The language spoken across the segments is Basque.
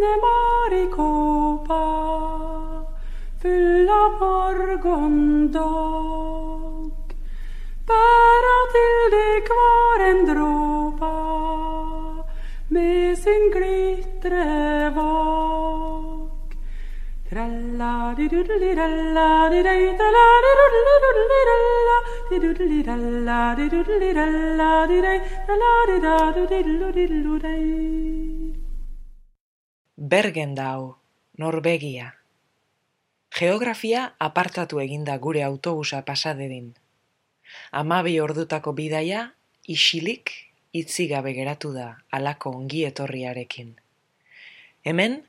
finne Maricopa full av morgondag, bära till dig kvar en dråpa med sin glittrevak. Bergendau, Norvegia. Geografia apartatu eginda gure autobusa pasadedin. 12 ordutako bidaia isilik itzigabe geratu da halako ongi etorriarekin. Hemen,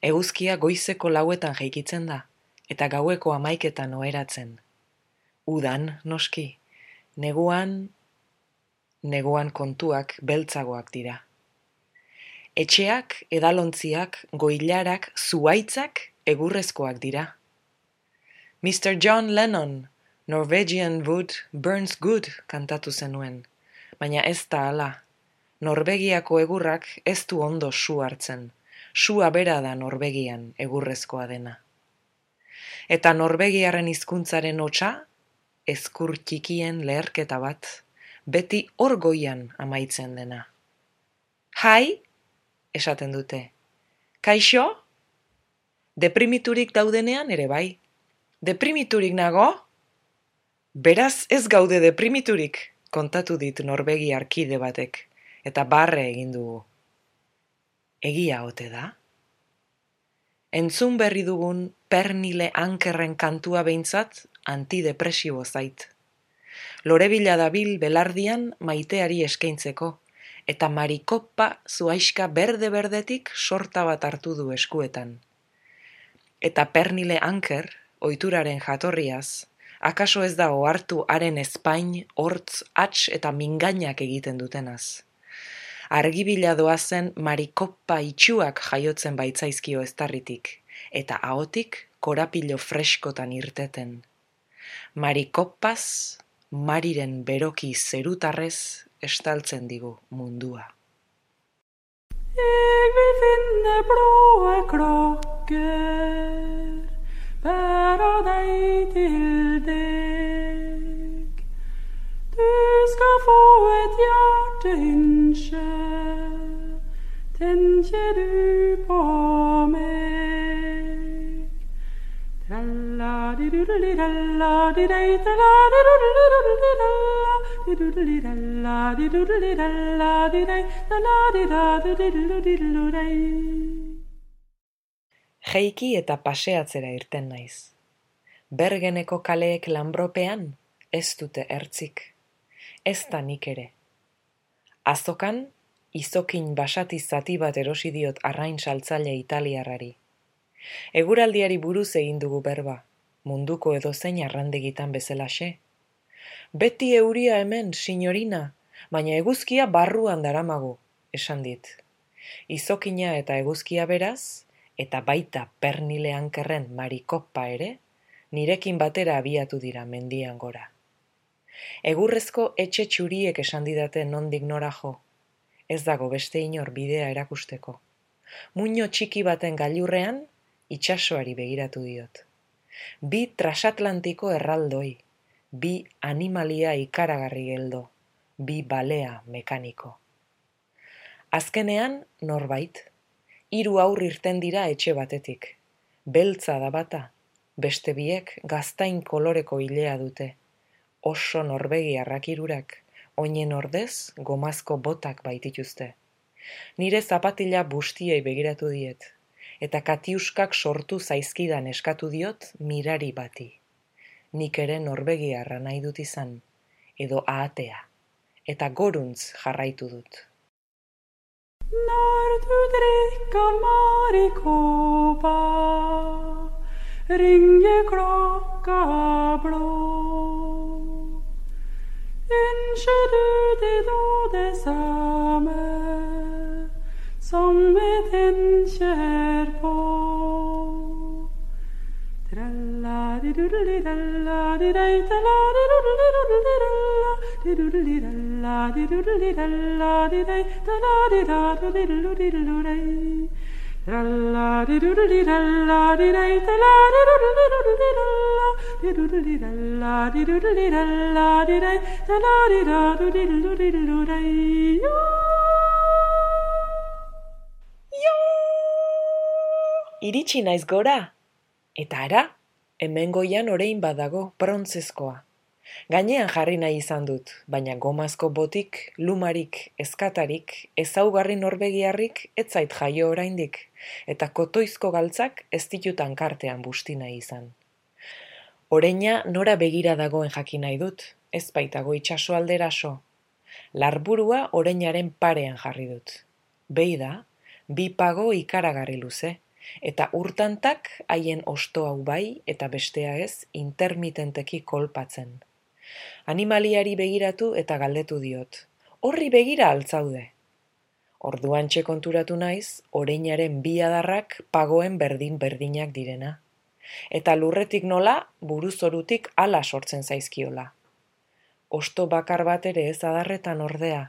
eguzkia goizeko 4etan jaikitzen da, eta gaueko 11etan oheratzen. Udan, noski, neguan kontuak beltzagoak dira. Etxeak, edalontziak, goilarak, zuhaitzak egurrezkoak dira. Mr. John Lennon, Norwegian wood burns good kantatu zenuen, baina ez da hala. Norvegiako egurrak ez du ondo su hartzen. Sua bera da Norvegian egurrezkoa dena. Eta Norvegiarren hizkuntzaren hotsa, ezkur txikien leherketa bat, beti hor goian amaitzen dena. Hai, esaten dute. Kaixo? Deprimiturik daudenean ere bai. Deprimiturik nago? Beraz ez gaude deprimiturik, kontatu dit Norvegiar kide batek, eta barre egin dugu. Egia ote da? Entzun berri dugun Pernille Ankerren kantua behintzat antidepresibo zait. Lorebila dabil belardian maiteari eskaintzeko, eta Maricopa zuhaixka berde-berdetik sorta bat hartu du eskuetan. Eta Pernille Anker, ohituraren jatorriaz, akaso ez da ohartu haren ezpain, hortz, hats eta mingainak egiten dutenaz. Argibila doazen Maricopa itxuak jaiotzen baitzaizkio eztarritik, eta ahotik korapilo freskotan irteten. Maricopaz, Mariren beroki zerutarrez estaltzen digu mundua. Jeg vil finne blåe klokker, bæra deg til deg. Du skal få et hjerteønske, tenker du på meg. Tralla-di-doodle-dalla-di-dei, tralla-di-doodle-dalla-di-doodle-dalla-di-dei, tralla-di-da-di-doodle-dilla-di-dei. Jeiki eta paseatzera irten naiz. Bergeneko kaleek lanbropean ez dute ertzik. Ez da nik ere. Azokan, izokin basati zati bat erosi diot arrain saltzaile italiarrari. Eguraldiari buruz egin dugu berba, munduko edozein arrandegitan bezalaxe. Beti euria hemen, signorina, baina eguzkia barruan daramagu, esan dit. Izokina eta eguzkia beraz, eta baita Pernille Ankerren Maricopa ere, nirekin batera abiatu dira mendian gora. Egurrezko etxe txuriek esan didate nondik nora jo. Ez dago beste inor bidea erakusteko. Muino txiki baten gailurrean, itsasoari begiratu diot. 2 transatlantiko erraldoi, 2 animalia ikaragarri geldo, 2 balea mekaniko. Azkenean, norbait, 3 haur irten dira etxe batetik. Beltza da bata, beste biek gaztain koloreko ilea dute. Oso norvegiarrak 3, oinen ordez gomazko botak baitituzte. Nire zapatila bustiei begiratu diet, eta katiuskak sortu zaizkidan eskatu diot mirari bati. Nik ere norvegiarra nahi dut izan, edo ahatea, eta goruntz jarraitu dut. Når du drikker Maricopa, ringer klokka blå. Ønsker du deg da det samme som vi tenker på? Tralla-di-doodle-dalla-di-dei, tralla-di-doodle-dalla-di-doodle-dalla-di-doodle-dalla-di-dei, tralla-di-da-do-diddle-diddle-dei. Iritsi naiz gora. Eta ara, hemen goian orain badago brontzezkoa. Gainean jarri nahi izan dut, baina gomazko botik, lumarik, eskatarik, ezaugarri norbegiarrik ez zait jaio oraindik, eta kotoizko galtzak ez ditutan kartean busti nahi izan. Oreina nora begira dagoen jakin nahi dut, ez baitago itsaso alderaso. Larburua oreinaren parean jarri dut. Behi da, bi pago ikaragarri luze, eta urtantak haien osto hau bai eta bestea ez intermitenteki kolpatzen. Animaliari begiratu eta galdetu diot. Horri begira altzaude. Orduantxe konturatu naiz, oreinaren bi adarrak pagoen berdin-berdinak direna. Eta lurretik nola, buruzorutik ala sortzen zaizkiola. Osto bakar bat ere ez adarretan ordea.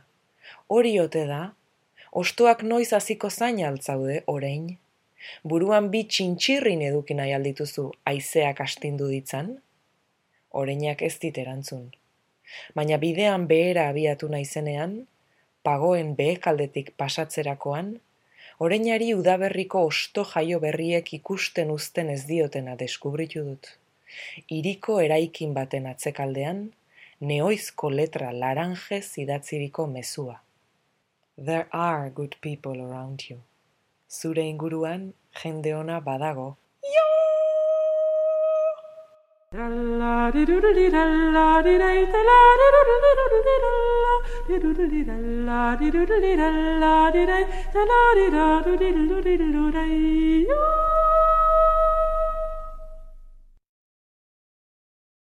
Hori ote da, ostoak noiz hasiko zain altzaude orein. Buruan bi txintxirrin eduki nahi aldituzu haizeak astindu ditzan? Oreinak ez dit erantzun. Baina bidean behera abiatu naizenean, pagoen behekaldetik pasatzerakoan, oreinari udaberriko osto jaio berriek ikusten uzten ez diotena deskubritu dut. Hiriko eraikin baten atzekaldean, neoizko letra laranjez idatziriko mezua. There are good people around you. Zure inguruan jende ona badago. La